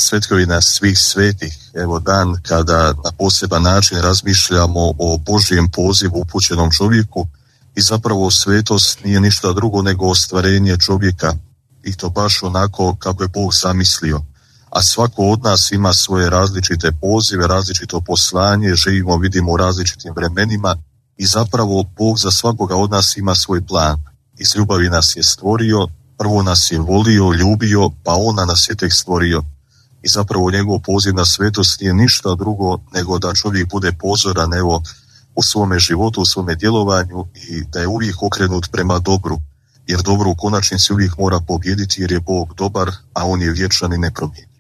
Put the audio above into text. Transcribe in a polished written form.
svetkovina svih svetih, evo dan kada na poseban način razmišljamo o Božjem pozivu upućenom čovjeku i zapravo svetost nije ništa drugo nego ostvarenje čovjeka i to baš onako kako je Bog zamislio. A svako od nas ima svoje različite pozive, različito poslanje, živimo, vidimo u različitim vremenima i zapravo Bog za svakoga od nas ima svoj plan. Iz ljubavi nas je stvorio, prvo nas je volio, ljubio, pa ona nas je tek stvorio. I zapravo njegov poziv na svetost nije ništa drugo nego da čovjek bude pozoran evo u svome životu, u svome djelovanju i da je uvijek okrenut prema dobru. Jer dobro u konačnici uvijek mora pobijediti jer je Bog dobar, a on je vječan i nepromijenjen.